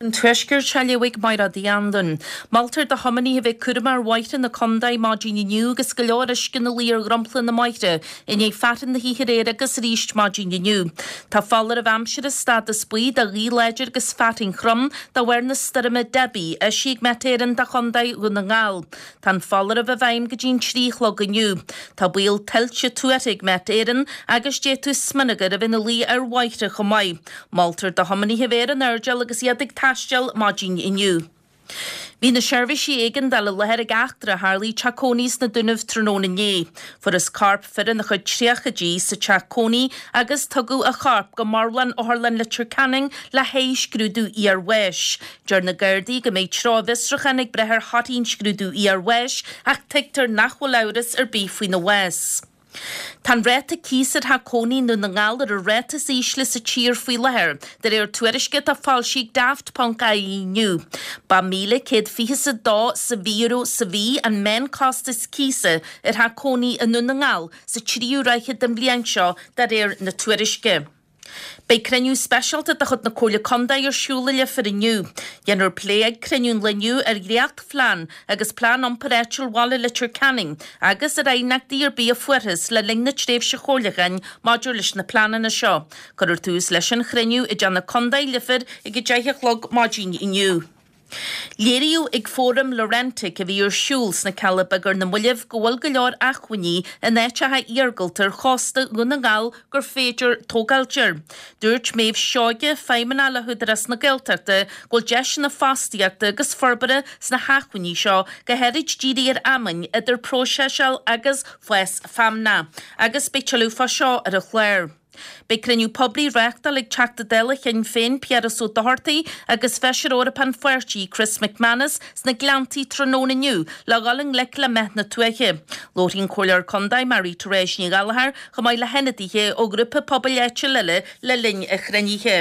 An Tuaisceart á léamh ag Mairéad Uí Anluain. Moltar do thiománaithe a bheith cúramach ar bhóithre na contae maidin inniu agus go leor uisce ina luí ar dhromchla na mbóithre i ndiaidh fearthainn na hoíche aréir agus arís maidin inniu. Tá foláireamh aimsire stádas buí do ghaoth láidir agus fearthainn throm de bharr na stoirme Debbie eisithe ag Met Éireann do chontae Dhún na nGall. Tá an foláireamh i bhfeidhm go dtí an 3 a chlog inniu. Tá baol tuilte tuartha ag Met Éireann agus d'fhéadfadh smionagar a bheith ina luí ar bhóithre chomh maith. Moltar do thiománaithe a bheith ar an airdeall agus iad ag taisteal maidin inniu. Bhí na seirbhísí éigeandála i láthair ag eachtra a tharlaigh i dteach cónaí sna Dúnaibh tráthnóna inné. Fuarthas corp fir ina chuid tríochaidí sa teach cónaí agus tugadh a chorp go marbhlann Otharlann Leitir Ceanainn le haghaidh scrúdú iarbháis. Deir na Gardaí go mbeidh treo a bhfiosrúcháin ag brath ar thorthaí an scrúdú iarbháis ach tuigtear nach bhfuil amhras ar bith faoina bhás. Tá an ráta cíosa ar theach cónaí i nDún na nGall ar an ráta is ísle sa tír faoi láthair, de réir tuairisce atá foilsithe ag Daft ponc ie inniu. Ba 1,122 sa mhí euro sa mhí an meánchostas cíosa ar theach cónaí i nDún na nGall sa tríú ráithe den bhliain seo, de réir na tuairisce. Beidh cruinniú speisialta de chuid na Comhairle Contae ar siúl i Leifear inniu. Déanfar plé ag cruinniú an lae inniu ar dhréacht-phlean agus plean iompair áitiúil bhaile Leitir Ceanainn agus ar aighneachtaí ar bith a fuarthas le linn na tréimhse chomhairliúcháin maidir leis na pleananna seo. Cuirfear tús leis an chruinniú i dTeach na Contae, Leifear ag 10 a chlog maidin inniu. Léiríodh ag Fóram Laurentic a bhí ar siúl sna Cealla Beaga ar na mallaibh go bhfuil go leor acmhainní in áiteacha iargúlta ar chósta Dhún na nGall gur féidir tógáilt air. Dúirt Méabh Seoige, Feidhmeannach le hÚdarás na Gaeltachta, go bhfuil deiseanna fostaíochta agus forbartha sna hacmhainní seo, go háirid dírithe ar fheamainn, idir próiseáil agus fás feamnach. Agus beidh tuilleadh fá seo ar an chlár. Beidh cruinniú poiblí á reáchtáil ag Teachta Dála Shinn Féin Piaras Ó Dochartaigh agus Feisire Eorpach an pháirtí Chris McManus sna Gleanntaí tráthnóna inniu le dhul i ngleic le meath na tuaithe. Labharfaidh an Comhairleoir Contae Marie Therese Ní Ghallchóir chomh maith le hionadaithe ó ghrúpa pobail áitiúil eile le linn an chruinnithe.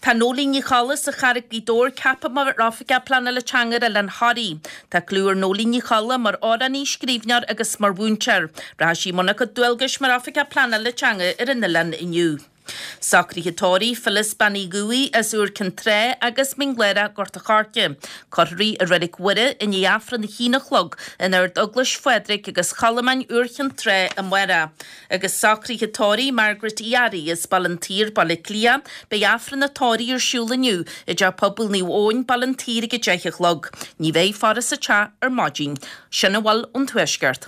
Tá Nóirín Ní Cholla as an Charraig, Gaoth Dobhair ceaptha mar Oifigeach Pleanála Teanga ar Oileán Thoraí. Tá clú ar Nóirín Ní Cholla mar amhránaí, scríbhneoir agus mar mhúinteoir. Rachaidh sí i mbun a cuid dualgais mar Oifigeach Pleanála Teanga ar an oileán inniu. Socruithe tórraimh, Phyllis Bean Uí Dhubhthaigh as Iúr Cinn Trá agus Mín Lárach, Gort a' Choirce. Cuirfear í i Reilig Mhuire i ndiaidh Aifreann a haon a chlog in Ard Eaglais Phádraig agus Cholmáin, Iúr Chinn Trá amárach. Agus socruithe tórraimh Margaret Uí Fhearraigh as Baile an tSaoir, Baile Átha Cliath, beidh Aifreann a tórraimh ar siúl inniu i dTeach Pobail Naomh Eoin, Baile an tSaoir ag 10 a chlog. Ní bheidh faire sa teach ar maidin. Sin a bhfuil ón Tuaisceart.